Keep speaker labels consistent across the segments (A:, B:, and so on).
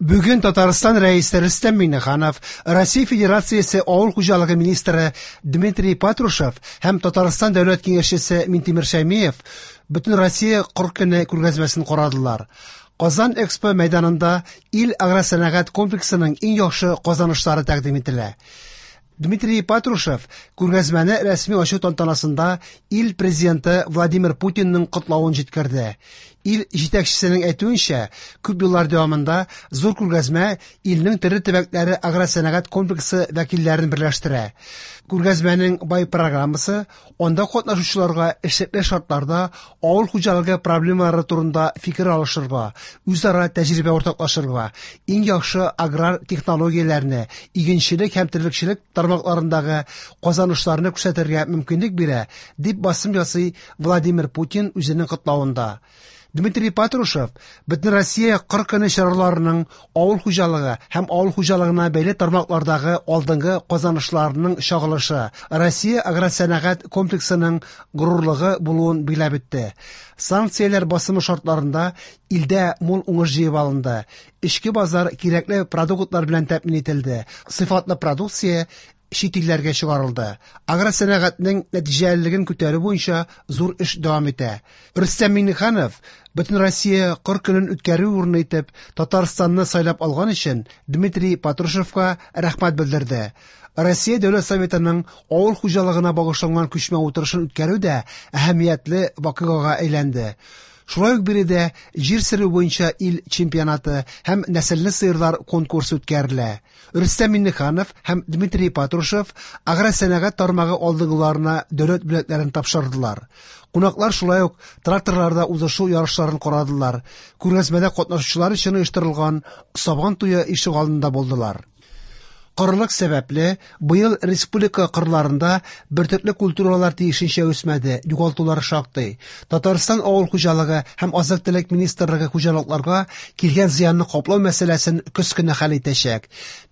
A: Бүген Татарстан Рәисе Рөстәм Миңнеханов, Россия Федерациясе Авыл хуҗалыгы министры Дмитрий Патрушев һәм Татарстан Дәүләт Киңәшчесе Минтимер Шәймиев Бөтенроссия кыр көне күргәзмәсен карадылар. Казан Экспо мәйданында ил агросәнәгать комплексының иң яхшы казанышлары тәкъдим ителә. Дмитрий Патрушев күргәзмәне рәсми ачу тантанасында ил президенты Владимир Путинның котлавын җиткерде. Ил җитәкчесенең әйтүенчә, күп еллар дәвамында зур күргәзмә илнең төрле төбәкләре агросәнәгать комплексы вәкилләрен берләштерә. Күргәзмәнең бай программасы анда катнашучыларга эшлекле шартларда авыл хуҗалыгы проблемалары турында фикер алышырга, үзара тәҗрибә уртаклашырга, иң яхшы аграр технологияләрне, игенчелек һәм терлекчелек тармакларындагы казанышларны күрсәтергә мөмкинлек бирә, дип басым ясый Владимир Путин үзенең котлавында. Дмитрий Патрушев Бөтенроссия кыр көне чараларының авыл хуҗалыгы һәм авыл хуҗалыгына бәйле тармаклардагы алдынгы казанышларының чагылышы, Россия агросәнәгать комплексының горурлыгы булуын билгеләп үтте. Санкцияләр басымы шартларында илдә мул уңыш җыеп алынды. Эчке базар кирәкле продуктлар белән тәэмин ителде. Сыйфатлы продукция чит илләргә чыгарылды. Агросәнәгатьнең нәтиҗәлелеген күтәрү буенча зур эш дәвам итә. Рөстәм Миңнеханов Бөтенроссия кыр көнен үткәрү урыны итеп Татарстанны сайлап алган өчен Дмитрий Патрушевка рәхмәт белдерде. Россия Дәүләт Советының авыл хуҗалыгына багышланган күчмә утырышын үткәрү дә әһәмиятле вакыйгага әйләнде. Шулай ук биредә җир сөрү буенча ил чемпионаты һәм нәселле сыерлар конкурсы үткәрелә. Рөстәм Миңнеханов һәм Дмитрий Патрушев агросәнәгать тармагы алдынгыларына дәүләт бүләкләрен тапшырдылар. Кунаклар шулай ук тракторларда узышу ярышларын карадылар. Күргәзмәдә катнашучылар өчен оештырылган Сабан туе ишегалдында булдылар. Корылык сәбәпле, быел республика кырларында бөртекле культуралар тиешенчә үсмәде, югалтулар шактый. Татарстан авыл хуҗалыгы һәм азык-төлек министрлыгы хуҗалыкларга килгән зыянны каплау мәсьәләсен көз көне хәл итәчәк.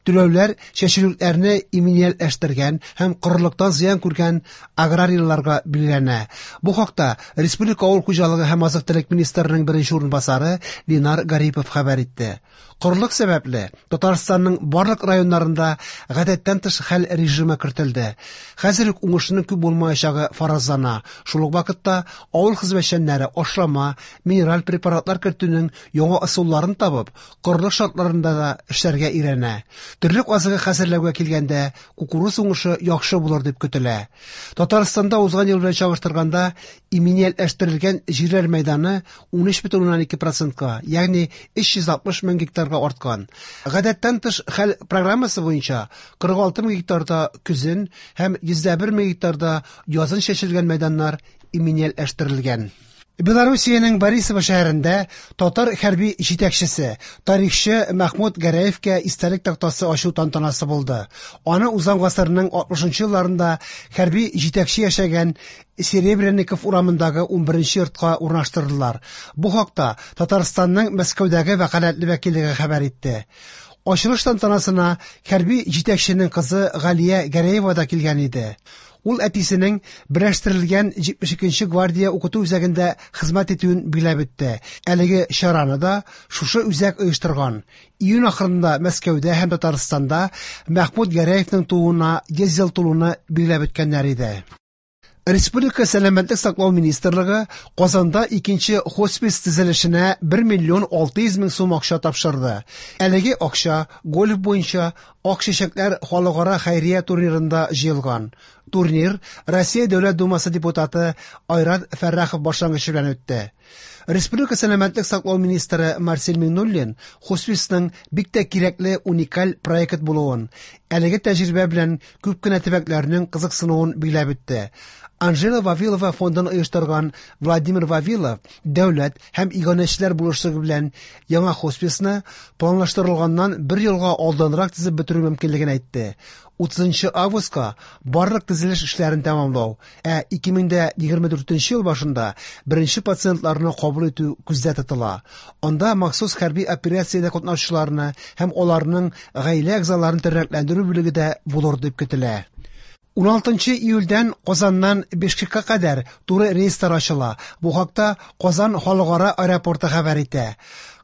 A: Түләүләр чәчүлекләрне иминиятләштергән һәм корылыктан зыян күргән аграрийларга билгеләнә. Бу хакта республика авыл хуҗалыгы һәм азык-төлек министрының беренче урынбасары Ленар Гарипов хәбәр итте. Корылык сәбәпле, Татарстанның барлык районнарында гадәттән тыш хәл режимы кертелде. Хәзер үк уңышның күп булмаячагы фаразлана. Шул ук вакытта авыл хезмәтчәннәре ашлама, минераль препаратлар кертүнең яңа ысулларын табып, корылык шартларында да эшләргә өйрәнә. Терлек азыгы хәзерләүгә килгәндә, кукуруз уңышы яхшы булыр дип көтелә. Татарстанда узган ел белән чагыштырганда иминиятләштерелгән җирләр мәйданы 13,2 процентка, ягъни 360 мең гектарга арткан. Гадәттән тыш хәл программасы буенча 46 мең гектарда көзен һәм 101 мең гектарда язын чәчелгән мәйданнар иминиятләштерелгән. Белоруссиянең Борисово шәһәрендә татар хәрби җитәкчесе, тарихчы Мәхмүт Гәрәевкә истәлек тактасы ачу тантанасы булды. Аны узган гасырның 60 елларында хәрби җитәкче яшәгән Серебренников урамындагы 11 йортка урнаштырдылар. Бу хакта Татарстанның Мәскәүдәге вәкаләтле вәкиллеге хәбәр итте. Ачылыш тантанасына хәрби җитәкченең кызы Галия Гәрәева да килгән иде. Ул әтисенең берләштерелгән 72 гвардия укыту үзәгендә хезмәт итүен билгеләп үтте. Әлеге чараны да шушы үзәк оештырган. Июнь ахырында Мәскәүдә һәм Татарстанда Мәхмүт Гәрәевның тууына 100 ел тулуны билгеләп үткәннәр иде. Республика сәламәтлек саклау министрлыгы Казанда икенче хоспис төзелешенә 1 миллион 600 мең сум акча тапшырды. Әлеге акча гольф буенча Ак чәчәкләр халыкара хәйрия турнирында җыелган. Турнир Россия Дәүләт Думасы депутаты Айрат Фәррахов башлангычы белән үтте. Республика сәламәтлек саклау министры Марсель Миңнуллин хосписның бик тә кирәкле уникаль проект булуын, әлеге тәҗрибә белән күп кенә төбәкләрнең кызыксынуын билгеләп үтте. Анжела Вавилова фондын оештырган Владимир Вавилов дәүләт һәм иганәчеләр булышлыгы белән яңа хосписны планлаштырылганнан бер елга алданрак төзеп бетерү мөмкинлеген әйтте. 30 августка барлык төзелеш эшләрен тәмамлау, ә 2024 ел башында беренче пациентларны кабул итү күздә тотыла. Анда махсус хәрби операциядә катнашучыларны һәм аларның гаилә әгъзаларын тернәкләндерү бүлеге дә булыр дип көтелә. 16 июльдән Казаннан Бишкекка кадәр туры рейслар ачыла. Бу хакта Казан халыкара аэропорты хәбәр итә.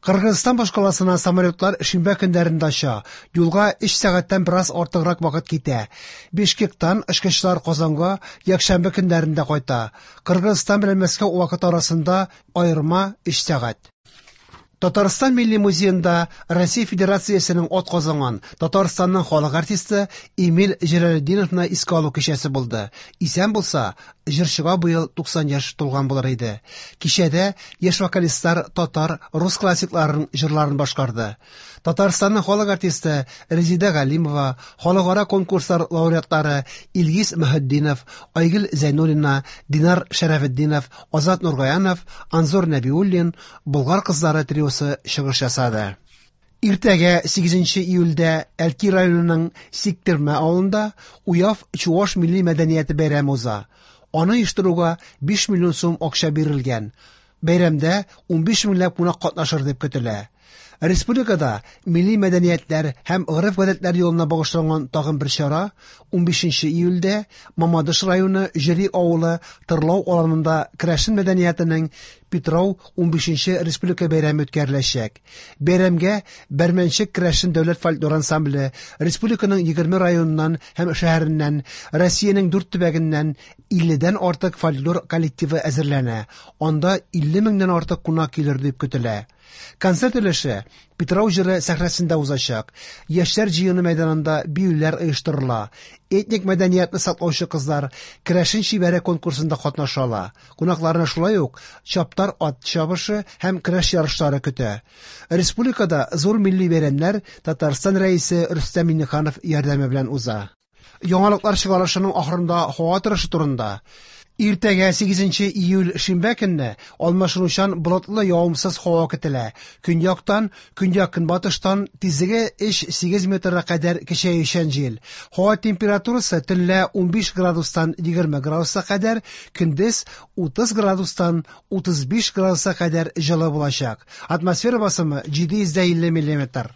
A: Кыргызстан башкаласына самолетлар шимбә көннәрендә оча. Юлга 3 сәгатьтән бераз артыграк вакыт китә. Бишкектан очкычлар Казанга якшәмбе көннәрендә кайта. Кыргызстан белән Мәскәү вакыты арасында аерма 3 сәгать. Татарстан Милли музеенда Россия Федерациясенең атказанган Татарстанның халык артисты Эмиль Җәләлетдиновны искә алу кичәсе булды. Исән булса, җырчыга быел 90 яшь тулган булыр иде. Кичәдә яшь вокалистлар татар, рус классикларының җырларын башкарды. Татарстанның халык артисты Резеда Галимова, халыкара конкурслар лауреатлары Илгиз Мөхетдинов, Айгөл Зәйнуллина, Динар Шәрәфетдинов, Азат Нургаянов, Анзор Нәбиуллин, Болгар кызлары триосы чыгыш ясады. Иртәгә 8 июльдә Әлки районының Сиктермә авылында Уяв чуаш милли мәдәнияте бәйрәме уза. Аны оештыруга 5 миллион сум акча бирелгән. Бәйрәмдә 15 меңләп кунак катнашыр дип көтелә. Республикада милли мәдәниятләр һәм гореф-гадәтләр елына багышланган тагын бер чара 15 июльдә Мамадыш районы Җөри авылы Тырлау аланында керәшен мәдәниятенең Питрау 15 республика бәйрәме үткәреләчәк. Бәйрәмгә Бәрмәнчек керәшен дәүләт фольклор ансамбле республиканың 20 районыннан һәм шәһәреннән, Россиянең 4 төбәгеннән 50дән артык фольклор коллективы әзерләнә. Анда 50 меңнән артык кунак килер дип көтелә. Концерт өлеше Питрау җыры сәхнәсендә узачак. Яшьләр җыены мәйданында биюләр оештырыла. Этник мәдәниятне саклаучы кызлар Керәшен чибәре конкурсында катнаша ала. Кунакларны шулай ук чаптар ат чабышы һәм көрәш ярышлары көтә. Республикада зур милли бәйрәмнәр Татарстан Рәисе Рөстәм Миңнеханов ярдәме белән уза. Яңалыклар чыгарылышының ахырында һава торышы турында. Иртәгә 8 июль шимбә көнне алмашынучан болытлы явымсыз һава көтелә. Көньяктан, көньяк-көнбатыштан тизлеге 3-8 метрга кадәр көчәючән җил. Һава температурасы төнлә 15 градустан 20 градуска кадәр, көндез 30 градустан 35 градуска кадәр җылы булачак. Атмосфера басымы 750 миллиметр.